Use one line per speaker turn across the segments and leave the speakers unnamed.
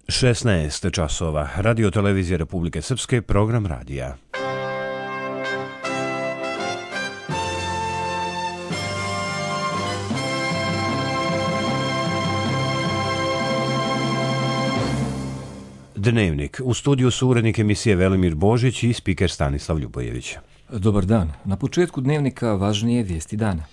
16 časova. Radio televizije Republike Srpske, program radija. Dnevnik. U studiju su urednik emisije Velimir Božić i spiker Stanislav Ljubojević.
Dobar dan. Na početku dnevnika važnije vijesti dana.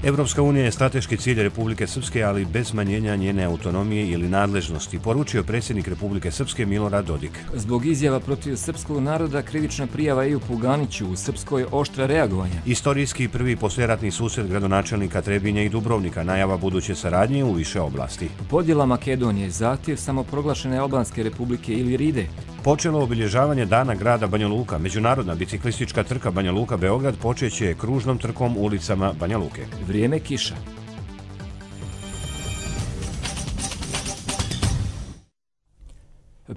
Evropska unija je strateški cilj Republike Srpske, ali bez smanjenja njene autonomije ili nadležnosti, poručio predsjednik Republike Srpske Milorad Dodik.
Zbog izjava protiv srpskog naroda krivična prijava Ejupu Ganiću, u Srpskoj oštra reagovanja.
Istorijski prvi poslijeratni susret gradonačelnika Trebinja i Dubrovnika, najava buduće saradnje u više oblasti.
Podjela Makedonije, zahtjev samoproglašene Albanske republike Iliride.
Počelo obilježavanje Dana grada Banja Luka. Međunarodna biciklistička trka Banja Luka-Beograd počeće kružnom trkom ulicama Banja Luke.
Vrijeme kiša.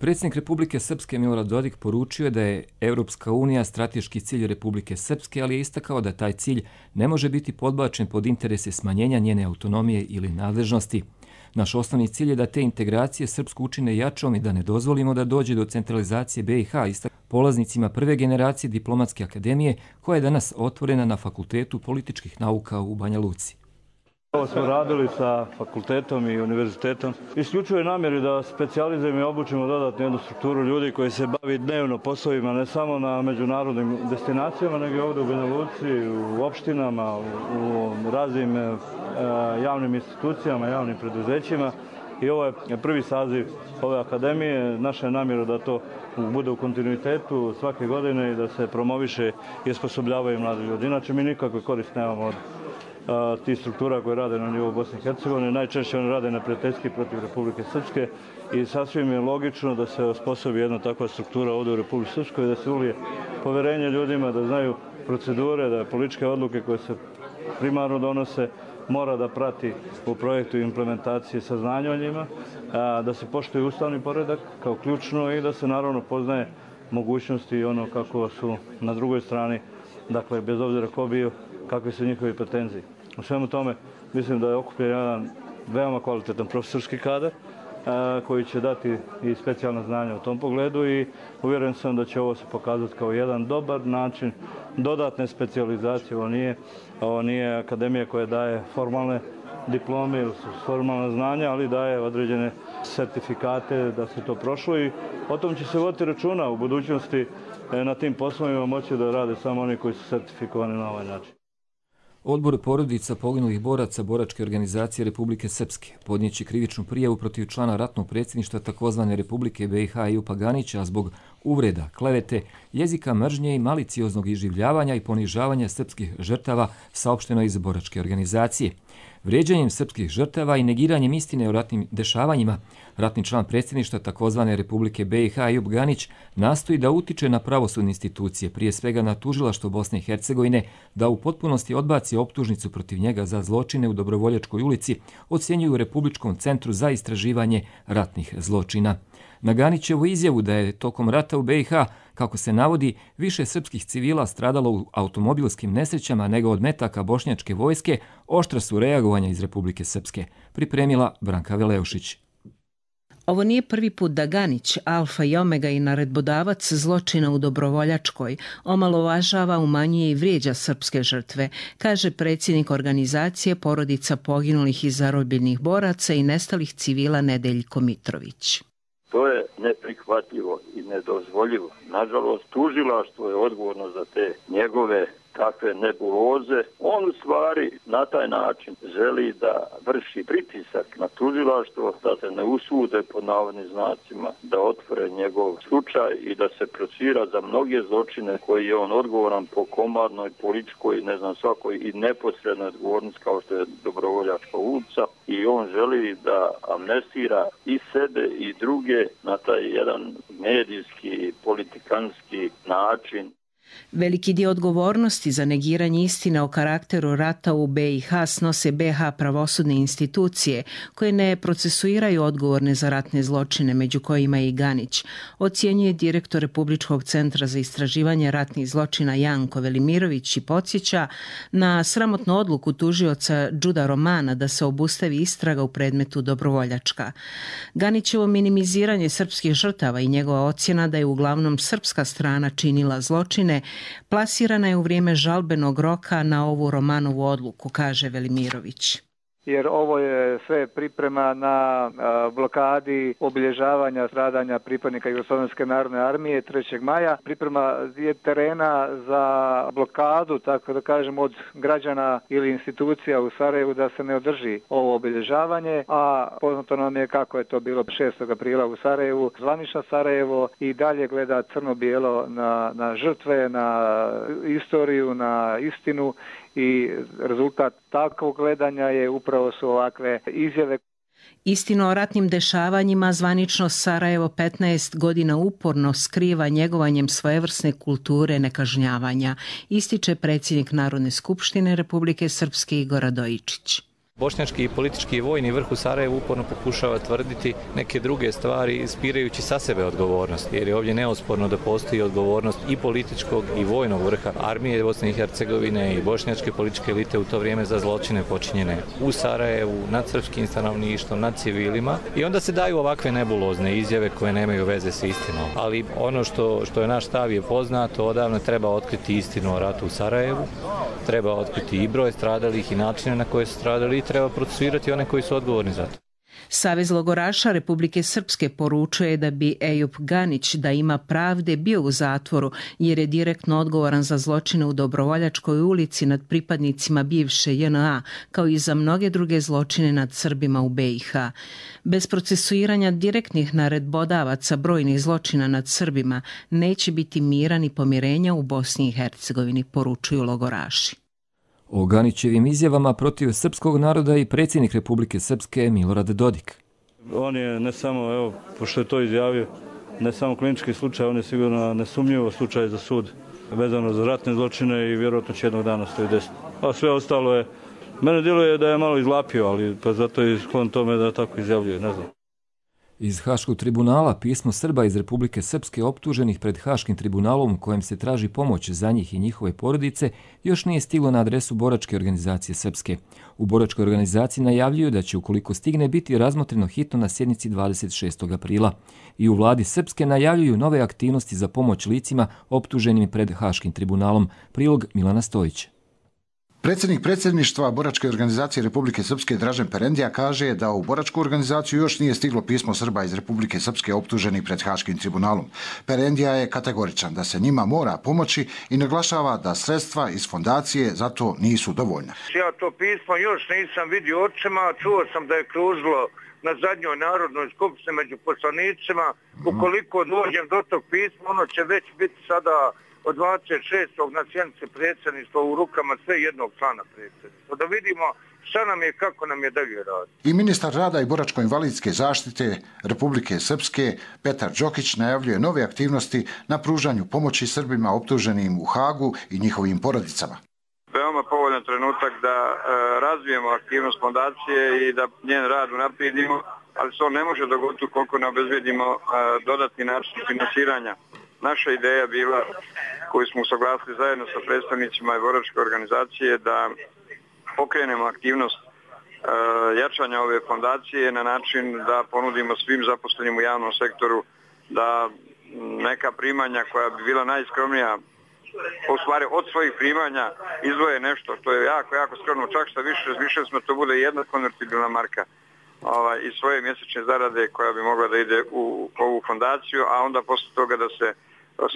Predsjednik Republike Srpske Milorad Dodik poručio je da je Evropska unija strateški cilj Republike Srpske, ali je istakao da taj cilj ne može biti podbačen pod interese smanjenja njene autonomije ili nadležnosti. Naš osnovni cilj je da te integracije Srpsku učine jačom i da ne dozvolimo da dođe do centralizacije BiH, istakao polaznicima prve generacije Diplomatske akademije, koja je danas otvorena na Fakultetu političkih nauka u Banja Luci.
Ovo smo radili sa fakultetom i univerzitetom. Isključuje namjeri da specijalizujemo i obučimo dodatnu jednu strukturu ljudi koji se bavi dnevno poslovima, ne samo na međunarodnim destinacijama, nego i ovdje u Banja Luci, u opštinama, u raznim javnim institucijama, javnim preduzećima. I ovo je prvi saziv ove akademije. Naša je namjera da to bude u kontinuitetu svake godine i da se promoviše i osposobljavaju mladi ljudi. Inače, mi nikakve koriste nemamo od tih struktura koje rade na nivou Bosne i Hercegovine. Najčešće oni rade neprijateljski protiv Republike Srpske i sasvim je logično da se osposobi jedna takva struktura ovdje u Republike Srpskoj, da se ulije poverenje ljudima, da znaju procedure, da političke odluke koje se primarno donose mora da prati u projektu implementacije saznanja o njima, da se poštuje ustavni poredak kao ključno i da se naravno poznaje mogućnosti i ono kako su na drugoj strani, dakle bez obzira ko bio, kakve su njihovi pretenziji. U svemu tome mislim da je okupljen jedan veoma kvalitetan profesorski kadar koji će dati i specijalna znanja u tom pogledu i uvjeren sam da će ovo se pokazati kao jedan dobar način dodatne specijalizacije. Ovo nije akademija koja daje formalne diplome ili formalna znanja, ali daje određene sertifikate da se to prošlo i o tom će se voditi računa u budućnosti. Na tim poslovima moći da rade samo oni koji su sertifikovani na ovaj način.
Odbor porodica poginulih boraca Boračke organizacije Republike Srpske podnijeće krivičnu prijavu protiv člana ratnog predsjedništva takozvane Republike BiH Ejupa Ganića zbog uvreda, klevete, jezika mržnje i malicioznog iživljavanja i ponižavanja srpskih žrtava, saopšteno iz Boračke organizacije. Vrijeđanjem srpskih žrtava i negiranjem istine o ratnim dešavanjima, ratni član predsjedništva takozvane Republike BiH Ejup Ganić nastoji da utiče na pravosudne institucije, prije svega na tužilaštvo Bosne i Hercegovine, da u potpunosti odbaci optužnicu protiv njega za zločine u Dobrovoljačkoj ulici, ocjenjuju u Republičkom centru za istraživanje ratnih zločina. Na Ganićevu izjavu da je tokom rata u BiH, kako se navodi, više srpskih civila stradalo u automobilskim nesrećama nego od metaka bošnjačke vojske, oštra su reagovanja iz Republike Srpske, pripremila Branka Veleušić.
Ovo nije prvi put da Ganić, alfa i omega i naredbodavac zločina u Dobrovoljačkoj, omalovažava, umanjuje i vrijeđa srpske žrtve, kaže predsjednik organizacije porodica poginulih i zarobljenih boraca i nestalih civila Nedeljko Mitrović.
To je neprihvatljivo i nedozvoljivo. Nažalost, tužilaštvo je odgovorno za te njegove takve nebuloze. On u stvari na taj način želi da vrši pritisak na tužilaštvo, da se ne usude pod navodnim znacima da otvore njegov slučaj i da se procira za mnoge zločine koji je on odgovoran po komadnoj, političkoj, svakoj i neposrednoj odgovornosti kao što je Dobrovoljačka ulica i on želi da amnestira i sebe i druge na taj jedan medijski, politikanski način.
Veliki dio odgovornosti za negiranje istine o karakteru rata u BiH snose BiH pravosudne institucije koje ne procesuiraju odgovorne za ratne zločine, među kojima je i Ganić, ocjenjuje direktor Republičkog centra za istraživanje ratnih zločina Janko Velimirović i podsjeća na sramotnu odluku tužioca Đuda Romana da se obustavi istraga u predmetu Dobrovoljačka. Ganićevo minimiziranje srpskih žrtava i njegova ocjena da je uglavnom srpska strana činila zločine plasirana je u vrijeme žalbenog roka na ovu Romanovu odluku, kaže Velimirović.
Jer ovo je sve priprema na blokadi obilježavanja stradanja pripadnika Jugoslovenske narodne armije 3. maja. Priprema je terena za blokadu, tako da kažem, od građana ili institucija u Sarajevu da se ne održi ovo obilježavanje, a poznato nam je kako je to bilo 6. aprila u Sarajevu. Zvanično Sarajevo i dalje gleda crno-bijelo na žrtve, na istoriju, na istinu. I rezultat takvog gledanja je upravo su ovakve izjave.
Istinu o ratnim dešavanjima zvanično Sarajevo 15 godina uporno skriva njegovanjem svojevrsne kulture nekažnjavanja, ističe predsjednik Narodne skupštine Republike Srpske Igor Radojičić.
Bošnjački i politički i vojni vrh u Sarajevu uporno pokušava tvrditi neke druge stvari ispirajući sa sebe odgovornost, jer je ovdje neosporno da postoji odgovornost i političkog i vojnog vrha armije Bosne i Hercegovine i bošnjačke političke elite u to vrijeme za zločine počinjene u Sarajevu, nad srpskim stanovništvom, nad civilima, i onda se daju ovakve nebulozne izjave koje nemaju veze sa istinom. Ali ono što je naš stav je poznato, odavno treba otkriti istinu o ratu u Sarajevu, treba otkriti i broj stradalih i načine na koje su stradali, treba procesuirati one koji su odgovorni za to.
Savez logoraša Republike Srpske poručuje da bi Ejup Ganić, da ima pravde, bio u zatvoru jer je direktno odgovoran za zločine u Dobrovoljačkoj ulici nad pripadnicima bivše JNA, kao i za mnoge druge zločine nad Srbima u BiH. Bez procesuiranja direktnih naredbodavaca brojnih zločina nad Srbima neće biti mira ni pomirenja u Bosni i Hercegovini, poručuju logoraši.
O Ganićevim izjavama protiv srpskog naroda i predsjednik Republike Srpske Milorad Dodik.
On je ne samo, pošto je to izjavio, ne samo klinički slučaj, on je sigurno nesumnjivo slučaj za sud vezano za ratne zločine i vjerojatno će jednog dana stoji desno. A sve ostalo je, mene djeluje da je malo izlapio, ali pa zato je sklon tome da tako izjavljuje, ne znam.
Iz Haškog tribunala pismo Srba iz Republike Srpske optuženih pred Haškim tribunalom u kojem se traži pomoć za njih i njihove porodice još nije stiglo na adresu Boračke organizacije Srpske. U Boračkoj organizaciji najavljuju da će, ukoliko stigne, biti razmotreno hitno na sjednici 26. aprila. I u vladi Srpske najavljuju nove aktivnosti za pomoć licima optuženim pred Haškim tribunalom. Prilog Milana Stojića.
Predsjednik predsjedništva Boračke organizacije Republike Srpske Dražen Perendija kaže da u Boračku organizaciju još nije stiglo pismo Srba iz Republike Srpske optuženih pred Haškim tribunalom. Perendija je kategoričan da se njima mora pomoći i naglašava da sredstva iz fondacije za to nisu dovoljna.
Ja to pismo još nisam vidio očima, čuo sam da je kružilo na zadnjoj narodnoj skupštini među poslanicima. Ukoliko dođem do tog pisma, ono će već biti sada od 26. na sjednici predsjedništva u rukama sve jednog člana predsjedništva. Da vidimo šta nam je, kako nam je dalje radi.
I ministar rada i boračko-invalidske zaštite Republike Srpske Petar Đokić najavljuje nove aktivnosti na pružanju pomoći Srbima optuženim u Hagu i njihovim porodicama.
Veoma povoljan trenutak da razvijemo aktivnost fondacije i da njen rad unaprijedimo, ali se on ne može dogoditi ukoliko ne obezbedimo dodatni način finansiranja. Naša ideja bila, koju smo usaglasili zajedno sa predstavnicima i Boračke organizacije, da pokrenemo aktivnost jačanja ove fondacije na način da ponudimo svim zaposlenim u javnom sektoru da neka primanja koja bi bila najskromnija, u stvari od svojih primanja izdvoje nešto što je jako skromno, čak što više smo to bude jedna konvertibilna marka iz svoje mjesečne zarade koja bi mogla da ide u ovu fondaciju, a onda posle toga da se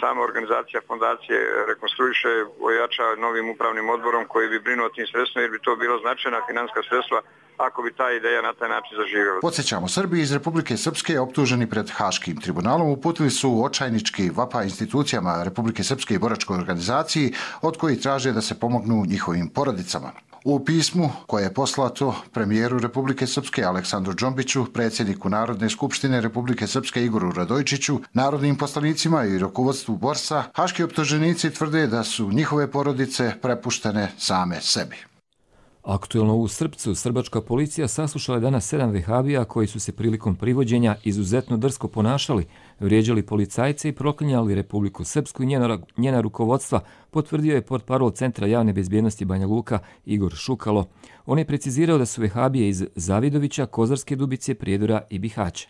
sama organizacija fondacije rekonstruiše, ojača novim upravnim odborom koji bi brinuo o tim sredstvima, jer bi to bilo značajna financijska sredstva ako bi ta ideja na taj način zaživjela.
Podsjećamo, Srbi iz Republike Srpske optuženi pred Haškim tribunalom uputili su očajnički vapaj institucijama Republike Srpske i Boračkoj organizaciji, od kojih traže da se pomognu njihovim porodicama. U pismu koje je poslato premijeru Republike Srpske Aleksandru Džombiću, predsjedniku Narodne skupštine Republike Srpske Igoru Radojičiću, narodnim poslanicima i rukovodstvu Borsa, haški optuženici tvrde da su njihove porodice prepuštene same sebi.
Aktuelno u Srpcu, srbačka policija saslušala je danas 7 vehabija koji su se prilikom privođenja izuzetno drsko ponašali, vrijeđali policajce i proklinjali Republiku Srpsku i njena rukovodstva, potvrdio je portparol Centra javne bezbjednosti Banja Luka Igor Šukalo. On je precizirao da su vehabije iz Zavidovića, Kozarske Dubice, Prijedora i Bihaća.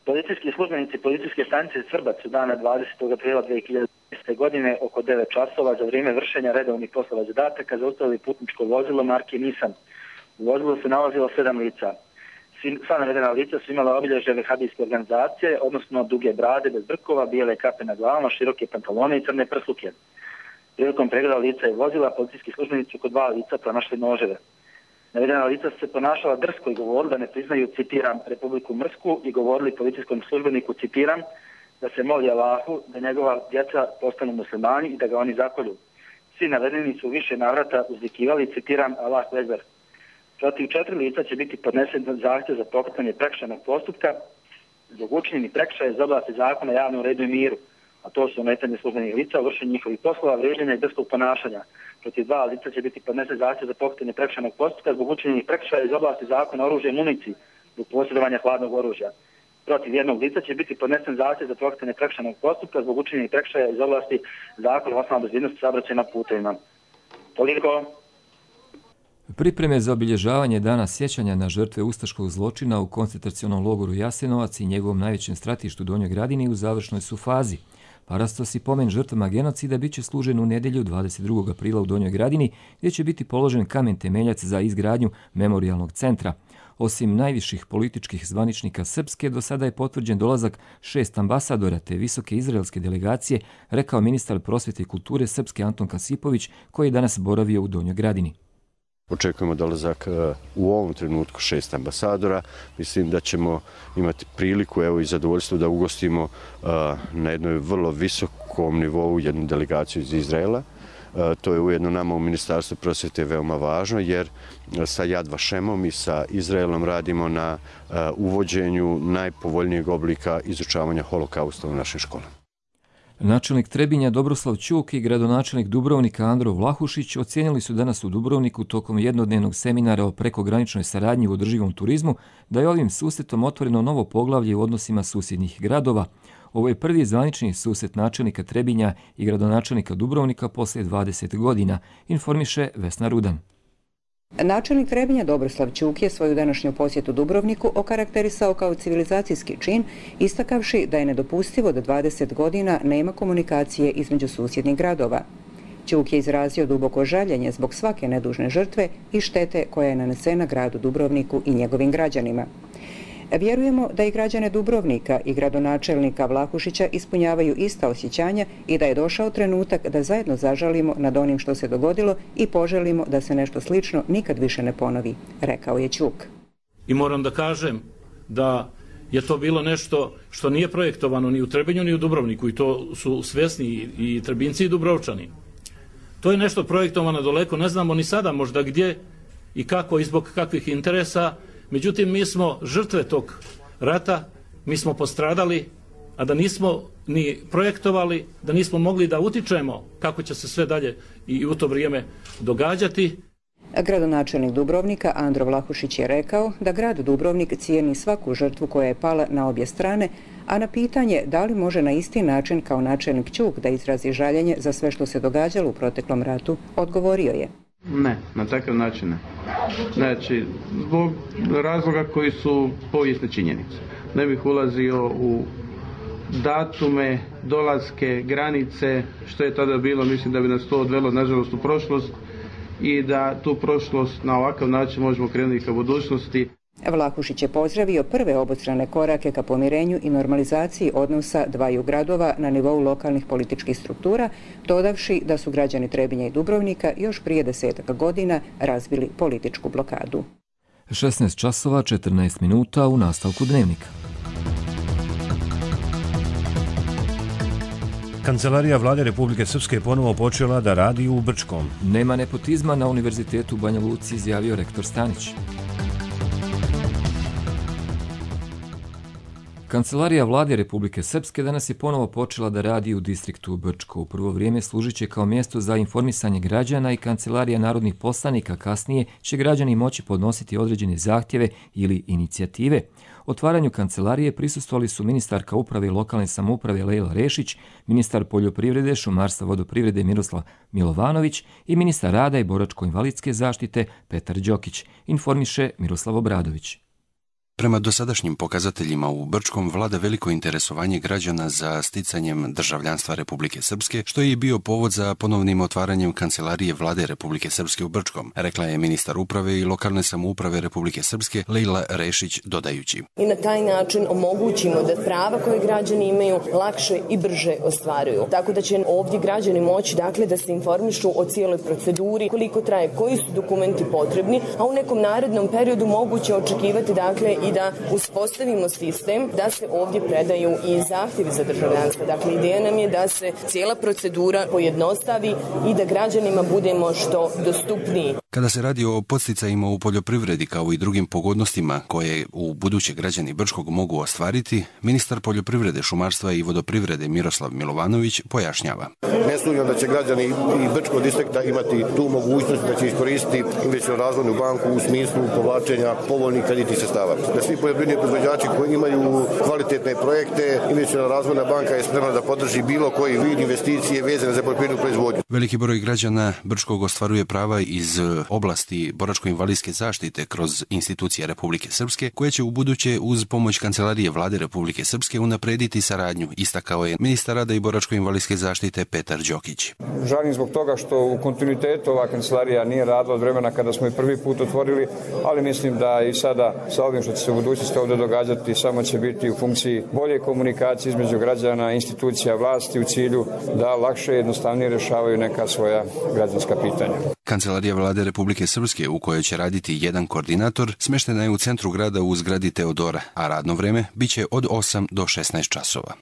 Policijski službenici policijske stanice Srbac su dana 20. aprila 2010. godine oko 9 časova za vrijeme vršenja redovnih poslova zadataka zaustavili putničko vozilo marke Nissan. U vozilu se nalazilo 7 lica. Sva navedena lica su imala obilježje vehabijske organizacije, odnosno duge brade bez brkova, bijele kape na glavama, široke pantalone i crne prsluke. Prilikom pregleda lica i vozila, policijski službenici su kod 2 lica pronašli noževe. Navedena lica su se ponašala drsko i govorili da ne priznaju, citiram, Republiku Mrsku i govorili policijskom službeniku, citiram, da se moli Allahu da njegova djeca postanu muslimani i da ga oni zakolju. Svi navedeni su više navrata uzvikivali, citiram, Allahu Ekber. Protiv 4 lica će biti podnesen zahtjev za pokretanje prekršajnog postupka zbog učinjenih prekršaja iz oblasti zakona o javnom redu i miru, a to su ometanje službenih lica, vršenje njihovih poslova, vrijeđanja i drskog ponašanja. Protiv 2 lica će biti podnesen zahtjev za pokretanje prekršajnog postupka zbog učinjenih prekršaja iz oblasti zakona o oružju i municiji zbog posjedovanja hladnog oružja. Protiv 1 lica će biti podnesen zahtjev za pokretanje prekršajnog postupka zbog učinjenih prekršaja iz oblasti zakona o osnovnoj bezbjednosti saobraćaja na putevima. Toliko.
Pripreme za obilježavanje dana sjećanja na žrtve ustaškog zločina u koncentracionom logoru Jasenovac i njegovom najvećem stratištu Donjoj Gradini u završnoj su fazi. Parastos i pomen žrtvama genocida bit će služen u nedjelju 22. aprila u Donjoj Gradini, gdje će biti položen kamen temeljac za izgradnju memorijalnog centra. Osim najviših političkih zvaničnika Srpske, do sada je potvrđen dolazak 6 ambasadora te visoke izraelske delegacije, rekao ministar prosvjete i kulture Srpske Anton Kasipović, koji je danas boravio u Donjoj Gradini.
Očekujemo dolazak u ovom trenutku 6 ambasadora. Mislim da ćemo imati priliku i zadovoljstvo da ugostimo na jednoj vrlo visokom nivou jednu delegaciju iz Izraela. To je ujedno nama u Ministarstvu prosvjete veoma važno jer sa Yad Vašemom i sa Izraelom radimo na uvođenju najpovoljnijeg oblika izučavanja holokausta u našim školama.
Načelnik Trebinja Dobroslav Ćuk i gradonačelnik Dubrovnika Andro Vlahušić ocijenili su danas u Dubrovniku tokom jednodnevnog seminara o prekograničnoj saradnji u održivom turizmu da je ovim susretom otvoreno novo poglavlje u odnosima susjednih gradova. Ovo je prvi zvanični susret načelnika Trebinja i gradonačelnika Dubrovnika poslije 20 godina, informiše Vesna Rudan.
Načelnik Trebinja Dobroslav Ćuk je svoju današnju posjetu Dubrovniku okarakterisao kao civilizacijski čin, istakavši da je nedopustivo da 20 godina nema komunikacije između susjednih gradova. Ćuk je izrazio duboko žaljenje zbog svake nedužne žrtve i štete koja je nanesena gradu Dubrovniku i njegovim građanima. Vjerujemo da i građane Dubrovnika i gradonačelnika Vlahušića ispunjavaju ista osjećanja i da je došao trenutak da zajedno zažalimo nad onim što se dogodilo i poželimo da se nešto slično nikad više ne ponovi, rekao je Ćuk.
I moram da kažem da je to bilo nešto što nije projektovano ni u Trebinju ni u Dubrovniku i to su svjesni i Trebinci i Dubrovčani. To je nešto projektovano daleko, ne znamo ni sada možda gdje i kako i zbog kakvih interesa. Međutim, mi smo žrtve tog rata, mi smo postradali, a da nismo ni projektovali, da nismo mogli da utičemo kako će se sve dalje i u to vrijeme događati.
Gradonačelnik Dubrovnika Andro Vlahušić je rekao da grad Dubrovnik cijeni svaku žrtvu koja je pala na obje strane, a na pitanje da li može na isti način kao načelnik Ćuk da izrazi žaljenje za sve što se događalo u proteklom ratu, odgovorio je.
Ne, na takav način ne. Znači, zbog razloga koji su povijesne činjenice. Ne bih ulazio u datume, dolaske, granice, što je tada bilo, mislim da bi nas to odvelo, nažalost, u prošlost i da tu prošlost na ovakav način možemo krenuti ka budućnosti.
Vlahušić je pozdravio prve obostrane korake ka pomirenju i normalizaciji odnosa dvaju gradova na nivou lokalnih političkih struktura, dodavši da su građani Trebinja i Dubrovnika još prije 10 godina razbili političku blokadu.
16 časova 14 minuta u nastavku dnevnika.
Kancelarija vlade Republike Srpske je ponovo počela da radi u Brčkom.
Nema nepotizma na Univerzitetu u Banja Luci, izjavio rektor Stanić. Kancelarija vlade Republike Srpske danas je ponovo počela da radi u distriktu Brčko. U prvo vrijeme služit će kao mjesto za informisanje građana i kancelarija narodnih poslanika. Kasnije će građani moći podnositi određene zahtjeve ili inicijative. Otvaranju kancelarije prisustvovali su ministarka uprave i lokalne samouprave Lejla Rešić, ministar poljoprivrede, šumarstva, vodoprivrede Miroslav Milovanović i ministar rada i boračko-invalidske zaštite Petar Đokić, informiše Miroslav Obradović.
Prema dosadašnjim pokazateljima u Brčkom vlada veliko interesovanje građana za sticanjem državljanstva Republike Srpske, što je i bio povod za ponovnim otvaranjem kancelarije vlade Republike Srpske u Brčkom, rekla je ministar uprave i lokalne samouprave Republike Srpske Lejla Rešić, dodajući.
I na taj način omogućimo da prava koje građani imaju lakše i brže ostvaruju. Tako da će ovdje građani moći da se informišu o cijeloj proceduri, koliko traje, koji su dokumenti potrebni, a u nekom narednom periodu moguće očekivati i da uspostavimo sistem da se ovdje predaju i zahtjevi za državljanstvo. Dakle, ideja nam je da se cijela procedura pojednostavi i da građanima budemo što dostupniji.
Kada se radi o podsticajima u poljoprivredi kao i drugim pogodnostima koje u buduće građani Brčkog mogu ostvariti, ministar poljoprivrede, šumarstva i vodoprivrede Miroslav Milovanović pojašnjava.
Ne sumnjam da će građani i Brčkog distrikta imati tu mogućnost da će iskoristiti investicionu razvojnu banku u smislu povlačenja povoljnih kreditnih sredstava. Da svi poljoprivredni proizvođači koji imaju kvalitetne projekte, investiciona razvojna banka je spremna da podrži bilo koji vid investicije vezane za poljoprivrednu proizvodnju.
Veliki broj građana Brčkog ostvaruje prava iz oblasti boračko-invalidske zaštite kroz institucije Republike Srpske, koje će u buduće uz pomoć Kancelarije vlade Republike Srpske unaprediti saradnju, istakao je ministar rada i boračko-invalidske zaštite Petar Đokić.
Žalim zbog toga što u kontinuitetu ova kancelarija nije radila od vremena kada smo je prvi put otvorili, ali mislim da i sada sa ovim što će se u budućnosti ovdje događati samo će biti u funkciji bolje komunikacije između građana, institucija vlasti u cilju da lakše i jednostavnije rješavaju neka svoja građanska pitanja.
Kancelarija vlade Republike Srpske, u kojoj će raditi jedan koordinator, smještena je u centru grada u zgradi Teodora, a radno vreme biće od 8 do 16 časova.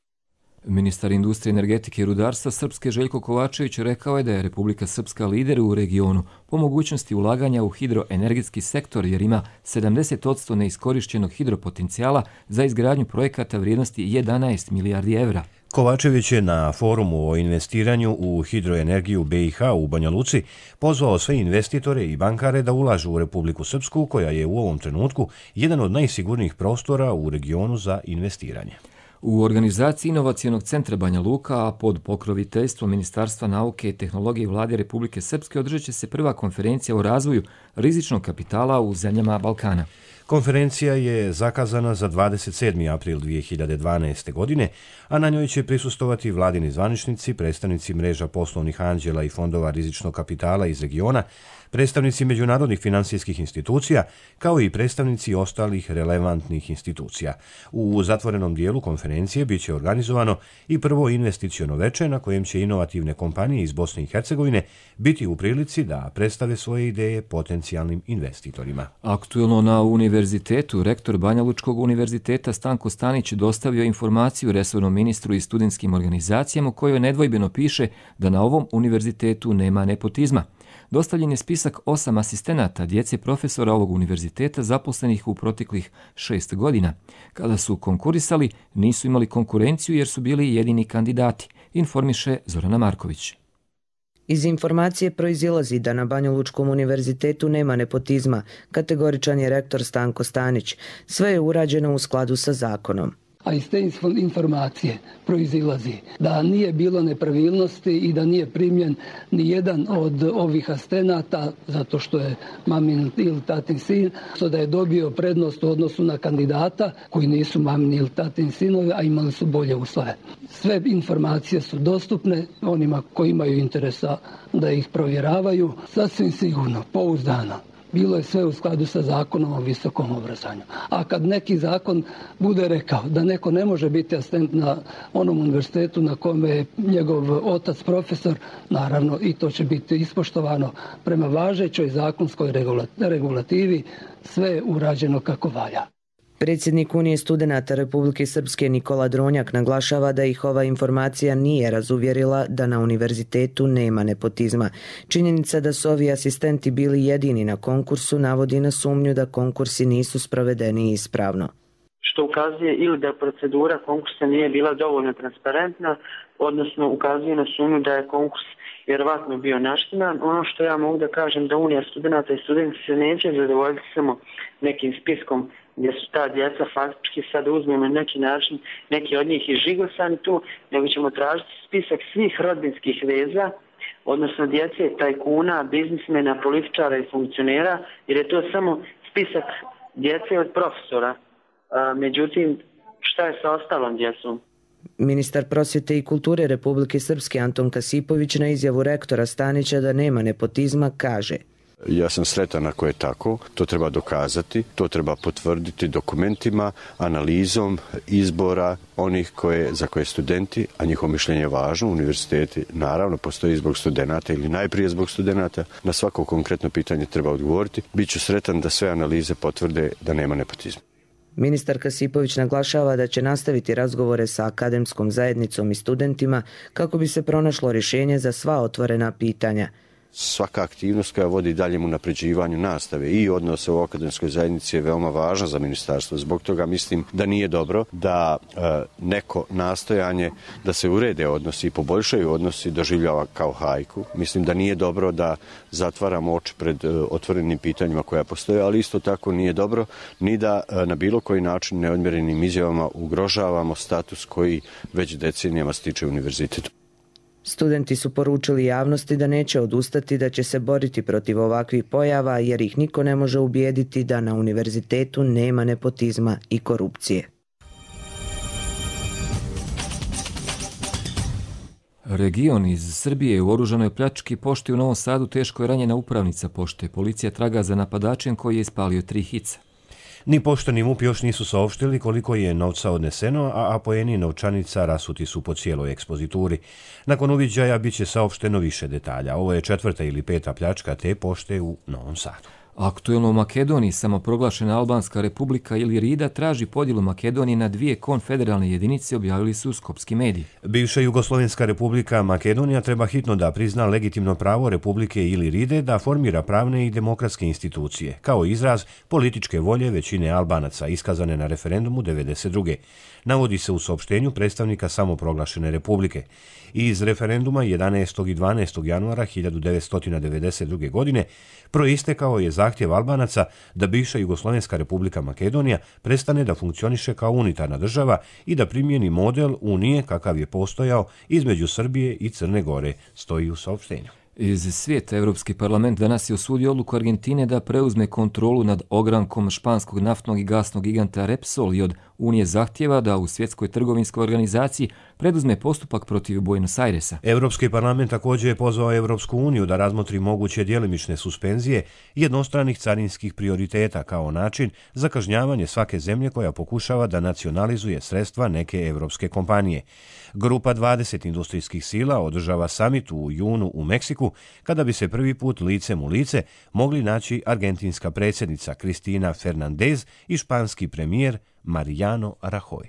Ministar industrije, energetike i rudarstva Srpske Željko Kovačević rekao je da je Republika Srpska lider u regionu po mogućnosti ulaganja u hidroenergetski sektor jer ima 70% neiskorišćenog hidropotencijala za izgradnju projekata vrijednosti 11 milijardi evra.
Kovačević je na forumu o investiranju u hidroenergiju BiH u Banja Luci pozvao sve investitore i bankare da ulažu u Republiku Srpsku, koja je u ovom trenutku jedan od najsigurnijih prostora u regionu za investiranje.
U organizaciji Inovacijonog centra Banja Luka, a pod pokroviteljstvom Ministarstva nauke i tehnologije vlade Republike Srpske održat će se prva konferencija o razvoju rizičnog kapitala u zemljama Balkana.
Konferencija je zakazana za 27. april 2012. godine, a na njoj će prisustovati vladini zvaničnici, predstavnici mreža poslovnih anđela i fondova rizičnog kapitala iz regiona, predstavnici međunarodnih finansijskih institucija, kao i predstavnici ostalih relevantnih institucija. U zatvorenom dijelu konferencije biće organizovano i prvo investiciono veče na kojem će inovativne kompanije iz Bosne i Hercegovine biti u prilici da predstave svoje ideje potencijalnim investitorima.
Aktuelno na univerzitetu, rektor Banja Lučkog univerziteta Stanko Stanić dostavio informaciju resornom ministru i studentskim organizacijama u kojoj nedvojbeno piše da na ovom univerzitetu nema nepotizma. Dostavljen je spisak 8 asistenata djece profesora ovog univerziteta zaposlenih u proteklih 6 godina. Kada su konkurisali, nisu imali konkurenciju jer su bili jedini kandidati, informiše Zorana Marković.
Iz informacije proizilazi da na Banjalučkom univerzitetu nema nepotizma, kategoričan je rektor Stanko Stanić. Sve je urađeno u skladu sa zakonom.
A iz te informacije proizilazi da nije bilo nepravilnosti i da nije primljen ni jedan od ovih asistenata zato što je mamin ili tatin sin, što da je dobio prednost u odnosu na kandidata koji nisu mamin ili tatin sinovi, a imali su bolje uslove. Sve informacije su dostupne onima koji imaju interesa da ih provjeravaju, sasvim sigurno, pouzdano. Bilo je sve u skladu sa zakonom o visokom obrazovanju. A kad neki zakon bude rekao da neko ne može biti asistent na onom univerzitetu na kome je njegov otac profesor, naravno i to će biti ispoštovano prema važećoj zakonskoj regulativi, sve je urađeno kako valja.
Predsjednik Unije studenata Republike Srpske Nikola Dronjak naglašava da ih ova informacija nije razuvjerila da na univerzitetu nema nepotizma. Činjenica da su ovi asistenti bili jedini na konkursu navodi na sumnju da konkursi nisu sprovedeni ispravno.
Što ukazuje ili da procedura konkursa nije bila dovoljno transparentna, odnosno ukazuje na sumnju da je konkurs vjerovatno bio naštiman. Ono što ja mogu da kažem da Unija studenta i studenti se neće zadovoljiti samo nekim spiskom gdje su ta djeca faktički sad uzmemo na neki način, neki od njih i žigosani tu, nego ćemo tražiti spisak svih rodbinskih veza, odnosno djece, tajkuna, biznismena, političara i funkcionera, jer je to samo spisak djece od profesora. Međutim, šta je sa ostalom djecom?
Ministar prosvjete i kulture Republike Srpske Anton Kasipović na izjavu rektora Stanića da nema nepotizma kaže:
Ja sam sretan ako je tako, to treba dokazati, to treba potvrditi dokumentima, analizom izbora onih za koje studenti, a njihovo mišljenje je važno, univerziteti naravno postoji zbog studenata ili najprije zbog studenata, na svako konkretno pitanje treba odgovoriti. Biću sretan da sve analize potvrde da nema nepotizma.
Ministar Kasipović naglašava da će nastaviti razgovore sa akademskom zajednicom i studentima kako bi se pronašlo rješenje za sva otvorena pitanja.
Svaka aktivnost koja vodi daljem unapređivanju nastave i odnose u akademskoj zajednici je veoma važna za ministarstvo. Zbog toga mislim da nije dobro da neko nastojanje da se urede odnosi i poboljšaju odnosi doživljava kao hajku. Mislim da nije dobro da zatvaramo oči pred otvorenim pitanjima koja postoje, ali isto tako nije dobro ni da na bilo koji način neodmjerenim izjavama ugrožavamo status koji već decenijama stiče univerzitetu.
Studenti su poručili javnosti da neće odustati, da će se boriti protiv ovakvih pojava jer ih niko ne može ubijediti da na univerzitetu nema nepotizma i korupcije.
Region iz Srbije u oružanoj pljački pošte u Novom Sadu teško je ranjena upravnica pošte. Policija traga za napadačem koji je ispalio 3 hica.
Ni pošta ni MUP još nisu saopštili koliko je novca odneseno, a apoeni novčanica rasuti su po cijeloj ekspozituri. Nakon uviđaja bit će saopšteno više detalja. Ovo je 4. ili 5. pljačka te pošte u Novom Sadu.
Aktuelno u Makedoniji samoproglašena Albanska republika ili Rida traži podjelu Makedonije na 2 konfederalne jedinice, objavili su skopski mediji.
Bivša Jugoslovenska republika Makedonija treba hitno da prizna legitimno pravo Republike ili Ride da formira pravne i demokratske institucije, kao izraz političke volje većine Albanaca iskazane na referendumu 1992. Navodi se u saopštenju predstavnika samoproglašene republike. Iz referenduma 11. i 12. januara 1992. godine proistekao je zahtjev Albanaca da bivša Jugoslovenska republika Makedonija prestane da funkcioniše kao unitarna država i da primjeni model Unije kakav je postojao između Srbije i Crne Gore, stoji u saopštenju.
Iz svijeta Europski parlament danas je osudio odluku Argentine da preuzme kontrolu nad ogrankom španskog naftnog i gasnog giganta Repsol i od Unije zahtjeva da u Svjetskoj trgovinskoj organizaciji preduzme postupak protiv Buenos Airesa.
Europski parlament također je pozvao Europsku uniju da razmotri moguće djelimične suspenzije jednostranih carinskih prioriteta kao način za kažnjavanje svake zemlje koja pokušava da nacionalizuje sredstva neke europske kompanije. Grupa 20 industrijskih sila održava samit u junu u Meksiku, kada bi se prvi put licem u lice mogli naći argentinska predsjednica Cristina Fernandez i španski premijer Mariano Rajoy.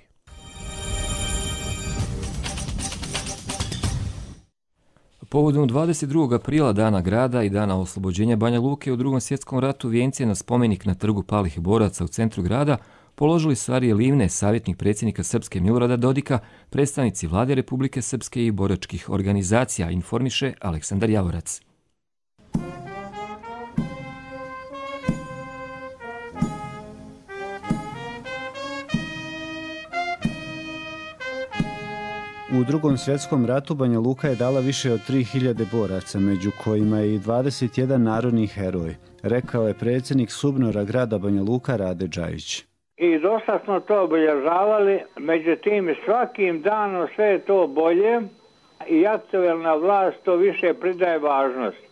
Povodom 22. aprila, dana grada i dana oslobođenja Banja Luke u Drugom svjetskom ratu, vijencije na spomenik na trgu palih boraca u centru grada položili su Arije Livne, savjetnik predsjednika Srpske Milorada Dodika, predstavnici Vlade Republike Srpske i boračkih organizacija, informiše Aleksandar Javorac.
U Drugom svjetskom ratu Banja Luka je dala više od 3000 boraca, među kojima je i 21 narodni heroj, rekao je predsjednik SUBNOR-a grada Banja Luka Rade Džajić.
I dosta smo to obilježavali, međutim svakim danom sve je to bolje i aktuelna vlast to više pridaje važnost.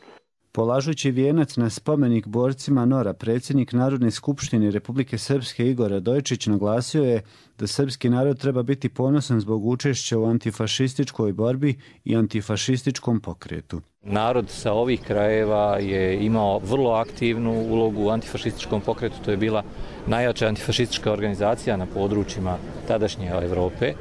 Polažući vijenac na spomenik borcima NOR-a, predsjednik Narodne skupštine Republike Srpske Igor Radojičić naglasio je da srpski narod treba biti ponosan zbog učešća u antifašističkoj borbi i antifašističkom pokretu.
Narod sa ovih krajeva je imao vrlo aktivnu ulogu u antifašističkom pokretu. To je bila najjača antifašistička organizacija na područjima tadašnje Evrope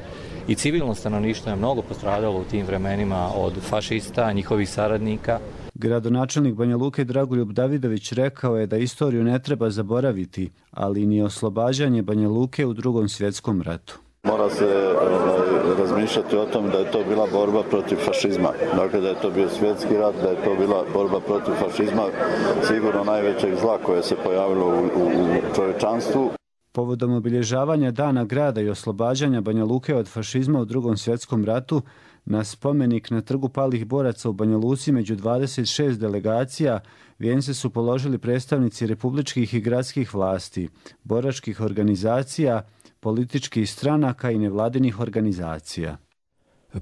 i civilno stanovništvo je mnogo postradalo u tim vremenima od fašista, njihovih saradnika.
Gradonačelnik Banja Luke Dragoljub Davidović rekao je da istoriju ne treba zaboraviti, ali ni oslobađanje Banja Luke u Drugom svjetskom ratu.
Mora se razmišljati o tom da je to bila borba protiv fašizma. Dakle, da je to bio svjetski rat, da je to bila borba protiv fašizma, sigurno najvećeg zla koje se pojavilo u čovječanstvu.
Povodom obilježavanja Dana grada i oslobađanja Banja Luke od fašizma u Drugom svjetskom ratu, na spomenik na Trgu palih boraca u Banja Luci među 26 delegacija vijence su položili predstavnici republičkih i gradskih vlasti, boračkih organizacija, političkih stranaka i nevladinih organizacija.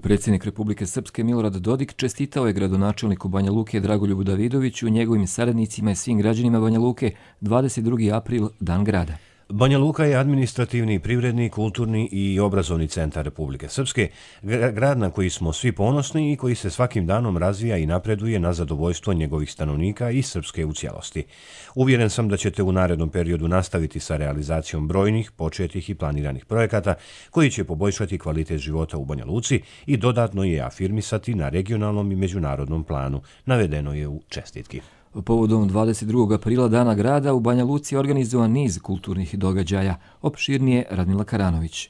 Predsjednik Republike Srpske Milorad Dodik čestitao je gradonačelniku Banja Luke Dragoljubu Davidoviću, njegovim saradnicima i svim građanima Banja Luke 22. april, Dan grada.
Banja Luka je administrativni, privredni, kulturni i obrazovni centar Republike Srpske, grad na koji smo svi ponosni i koji se svakim danom razvija i napreduje na zadovoljstvo njegovih stanovnika i Srpske u cijelosti. Uvjeren sam da ćete u narednom periodu nastaviti sa realizacijom brojnih, početih i planiranih projekata koji će poboljšati kvalitet života u Banja Luci i dodatno je afirmisati na regionalnom i međunarodnom planu, navedeno je u čestitki.
Povodom 22. aprila Dana grada u Banja Luci je organizovan niz kulturnih događaja. Opširnije Radmila Karanović.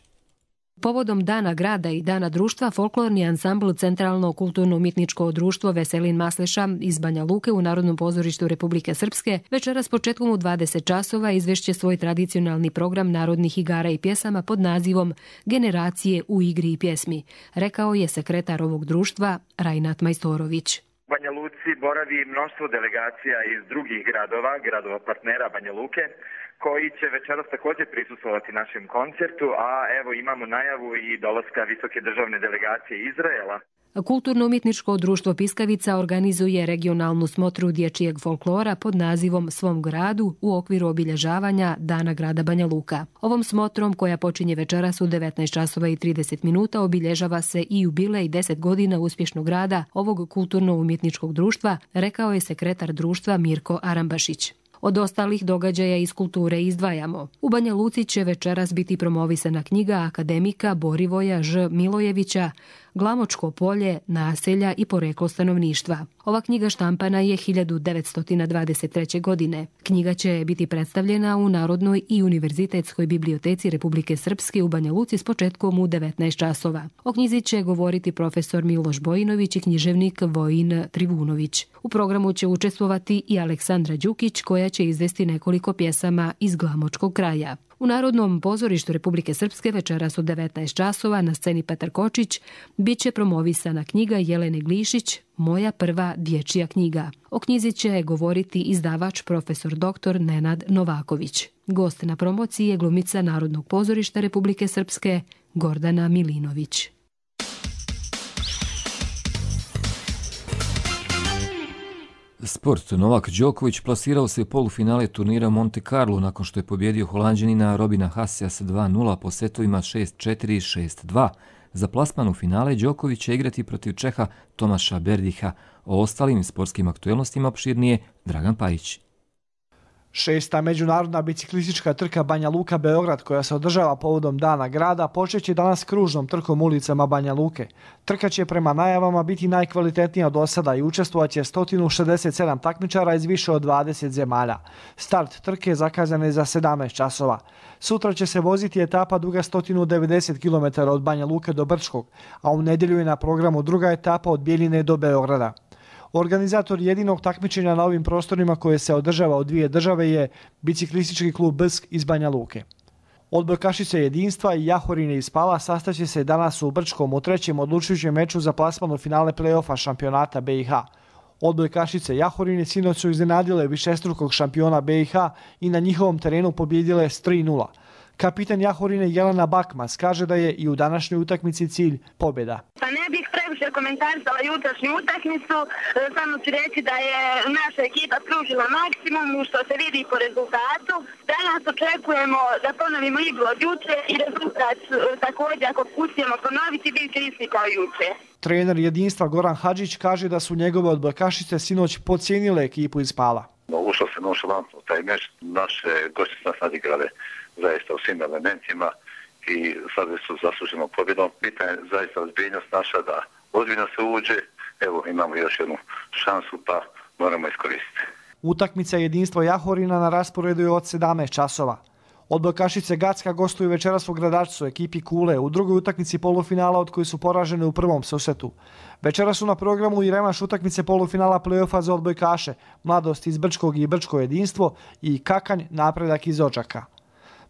Povodom Dana grada i Dana društva, folklorni ansambl Centralno kulturno-umjetničko društvo Veselin Masleša iz Banja Luke u Narodnom pozorištu Republike Srpske večeras početkom u 20 časova izvešće svoj tradicionalni program narodnih igara i pjesama pod nazivom Generacije u igri i pjesmi, rekao je sekretar ovog društva Rajnat Majstorović.
U Banja Luci boravi mnoštvo delegacija iz drugih gradova partnera Banja Luke, koji će večeras također prisustvovati našem koncertu, a evo imamo najavu i dolaska visoke državne delegacije Izraela.
Kulturno-umjetničko društvo Piskavica organizuje regionalnu smotru dječjeg folklora pod nazivom Svom gradu u okviru obilježavanja Dana grada Banja Luka. Ovom smotrom, koja počinje večeras u 19:30, obilježava se i jubilej 10 godina uspješnog rada ovog kulturno-umjetničkog društva, rekao je sekretar društva Mirko Arambašić. Od ostalih događaja iz kulture izdvajamo. U Banja Luci će večeras biti promovisana knjiga akademika Borivoja Ž. Milojevića Glamočko polje, naselja i poreklo stanovništva. Ova knjiga štampana je 1923. godine. Knjiga će biti predstavljena u Narodnoj i Univerzitetskoj biblioteci Republike Srpske u Banja Luci s početkom u 19 časova. O knjizi će govoriti profesor Miloš Bojinović i književnik Vojin Trivunović. U programu će učestvovati i Aleksandra Đukić, koja će izvesti nekoliko pjesama iz Glamočkog kraja. U Narodnom pozorištu Republike Srpske večeras u 19 časova na sceni Petar Kočić bit će promovisana knjiga Jelene Glišić Moja prva dječja knjiga. O knjizi će govoriti izdavač profesor dr. Nenad Novaković. Gost na promociji je glumica Narodnog pozorišta Republike Srpske Gordana Milinović.
Sport. Novak Đoković plasirao se u polufinale turnira Monte Carlo nakon što je pobjedio Holanđanina Robina Hassea sa 2:0 po setovima 6:4 i 6:2. Za plasman u finale Đoković će igrati protiv Čeha Tomaša Berdiha. O ostalim sportskim aktuelnostima opširnije Dragan Pajić.
6. međunarodna biciklistička trka Banja Luka-Beograd, koja se održava povodom Dana grada, počeće danas kružnom trkom ulicama Banja Luke. Trka će prema najavama biti najkvalitetnija do sada i učestvovaće 167 takmičara iz više od 20 zemalja. Start trke zakazan je za 17 časova. Sutra će se voziti etapa duga 190 km od Banja Luke do Brčkog, a u nedjelju je na programu druga etapa od Bjeljine do Beograda. Organizator jedinog takmičenja na ovim prostorima koje se održava u dvije države je biciklistički klub Brsk iz Banja Luke. Odbojkašice Jedinstva i Jahorine iz Pala sastaće se danas u Brčkom u trećem odlučujućem meču za plasman u finale play-offa šampionata BiH. Odbojkašice Jahorine sinoć su iznenadile višestrukog šampiona BiH i na njihovom terenu pobjedile s 3:0. Kapitan Jahorine Jelena Bakmas kaže da je i u današnjoj utakmici cilj pobjeda.
Pa ne bih
uopšte komentarisala jutrašnju utakmicu, samo ću reći da je naša ekipa pružila maksimum što se vidi po rezultatu. Danas očekujemo da ponovimo igru od juče i rezultat također ako uspijemo ponoviti bit će isti kao juče.
Trener jedinstva Goran Hadžić kaže da su njegove odbojkašice sinoć podcijenile ekipu iz Pala.
Ušlo se nonšalantno taj meč, naše gosti su nas nadigrale zaista u svim elementima i sad su zasluženo pobjedom. Pitanje je zaista ozbiljnost naša da ozbiljno se uđe, evo imamo još jednu šansu pa moramo iskoristiti.
Utakmica jedinstva Jahorina na rasporedu je od 17 časova. Odbojkašice Gacka gostuju večeras u Gradačcu ekipi Kule u drugoj utakmici polufinala od koji su poražene u prvom susretu. Večeras su na programu i revanš utakmice polufinala play-offa za odbojkaše, Mladost iz Brčkog i Brčko jedinstvo i Kakanj Napredak iz Odžaka.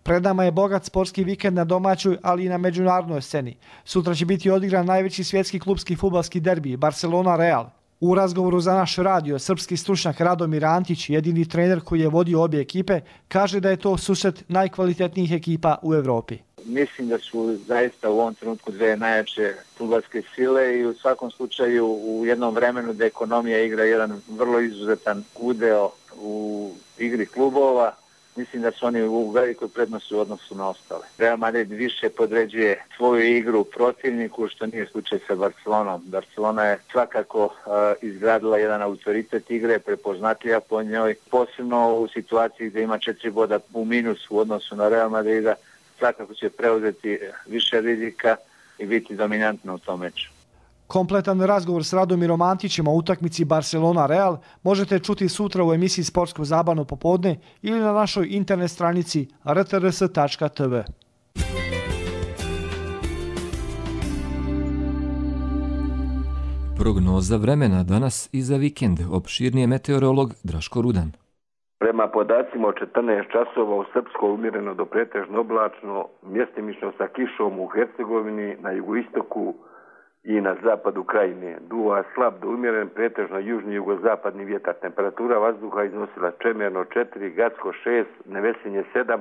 Pred nama je bogat sportski vikend na domaćoj, ali i na međunarodnoj sceni. Sutra će biti odigran najveći svjetski klubski fudbalski derbi Barcelona-Real. U razgovoru za naš radio, srpski stručnjak Radomir Antić, jedini trener koji je vodio obje ekipe, kaže da je to susret najkvalitetnijih ekipa u Evropi.
Mislim da su zaista u ovom trenutku dve najjače fudbalske sile i u svakom slučaju u jednom vremenu da ekonomija igra jedan vrlo izuzetan udeo u igri klubova. Mislim da su oni u velikoj prednosti u odnosu na ostale. Real Madrid više podređuje svoju igru protivniku, što nije slučaj sa Barcelonom. Barcelona je svakako izgradila jedan autoritet igre, prepoznatljiva po njoj, posebno u situaciji gdje ima 4 boda u minusu u odnosu na Real Madrida, svakako će preuzeti više rizika i biti dominantna u tom meču.
Kompletan razgovor s Radomirom Antićem o utakmici Barcelona-Real možete čuti sutra u emisiji Sportsko zabavno popodne ili na našoj internet stranici rtrs.tv.
Prognoza vremena danas i za vikend. Opširnije meteorolog Draško Rudan.
Prema podacima od 14 časova u Srpskoj umjereno do pretežno oblačno, mjestimično sa kišom u Hercegovini, na jugoistoku i na zapadu krajine. Duva slab do umjeren, pretežno južni jugozapadni vjetar. Temperatura vazduha iznosila Čemerno 4, Gacko 6, Nevesinje 7,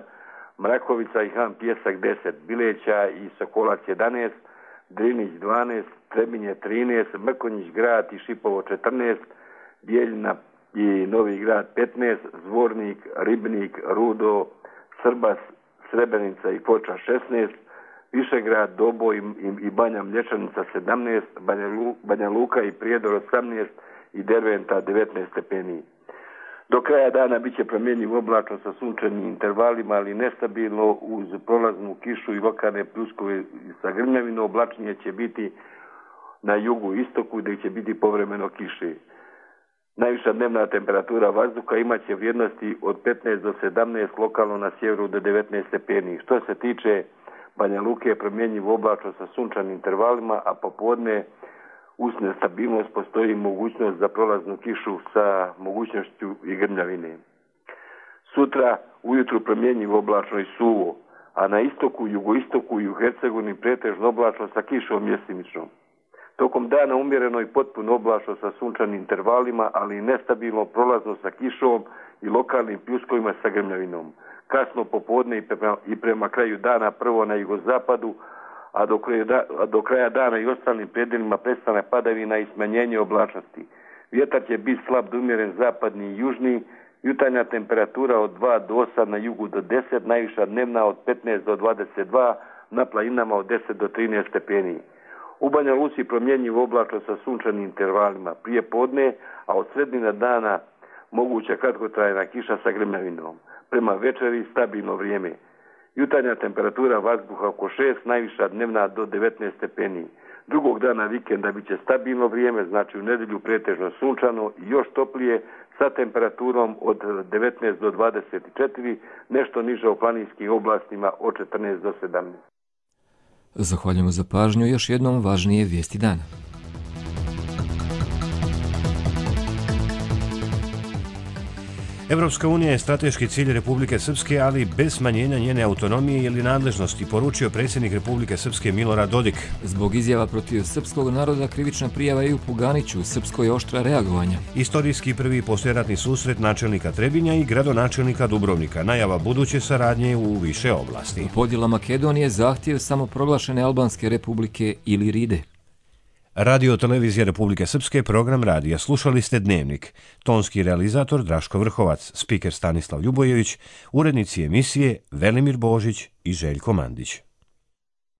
Mrakovica i Han Pjesak 10, Bileća i Sokolac 11, Drinić 12, Trebinje 13, Mrkonjić grad i Šipovo 14, Bijeljina i Novi grad 15, Zvornik, Ribnik, Rudo, Srbas, Srebrenica i Foča 16, Višegrad, Doboj i Banja Mlječanica 17, Banja Luka i Prijedor 18 i Derventa 19 stepeni. Do kraja dana bit će promjenjiv oblačno sa sunčanim intervalima, ali nestabilno uz prolaznu kišu i lokalne pljuskove sa grmljavinom. Oblačnije će biti na jugu istoku gdje će biti povremeno kiše. Najviša dnevna temperatura vazduha imaće vrijednosti od 15 do 17, lokalno na sjeveru do 19 stepeni. Što se tiče Banja Luke je promjenjiv oblačno sa sunčanim intervalima, a popodne uz nestabilnost postoji mogućnost za prolaznu kišu sa mogućnošću i grmljavine. Sutra ujutru promjenjiv oblačno i suvo, a na istoku, jugoistoku i u Hercegovini pretežno oblačno sa kišom mjestimičnom. Tokom dana umjereno i potpuno oblačno sa sunčanim intervalima, ali i nestabilno prolazno sa kišom i lokalnim pljuskovima sa grmljavinom. Kasno popodne i prema kraju dana prvo na jugozapadu, a do kraja dana i ostalim predjelima prestane padavina i smanjenje oblačnosti. Vjetar će biti slab do umjeren zapadni i južni, jutarnja temperatura od 2 do 8, na jugu do 10, najviša dnevna od 15 do 22, na planinama od 10 do 13 stepeni. U Banja Luci promjenjiv oblačno sa sunčanim intervalima prije podne, a od sredine dana moguća kratkotrajna kiša sa grmljavinom. Prema večeri stabilno vrijeme. Jutarnja temperatura vazduha oko 6, najviša dnevna do 19 stepeni. Drugog dana vikenda bit će stabilno vrijeme, znači u nedjelju pretežno sunčano i još toplije sa temperaturom od 19 do 24, nešto niže u planinskim oblastima od 14 do 17.
Zahvaljujemo za pažnju, još jednom važnije vijesti dana.
Evropska unija je strateški cilj Republike Srpske, ali bez smanjenja njene autonomije ili nadležnosti, poručio predsjednik Republike Srpske Milorad Dodik.
Zbog izjava protiv srpskog naroda krivična prijava je u Puganiću, u Srpskoj je oštra reagovanja.
Istorijski prvi poslijeratni susret načelnika Trebinja i gradonačelnika Dubrovnika, najava buduće saradnje u više oblasti.
Podjela Makedonije, zahtjev samoproglašene Albanske republike ili Ride.
Radio Televizija Republike Srpske, program radija. Slušali ste Dnevnik. Tonski realizator Draško Vrhovac, spiker Stanislav Ljubojević, urednici emisije Velimir Božić i Željko Mandić.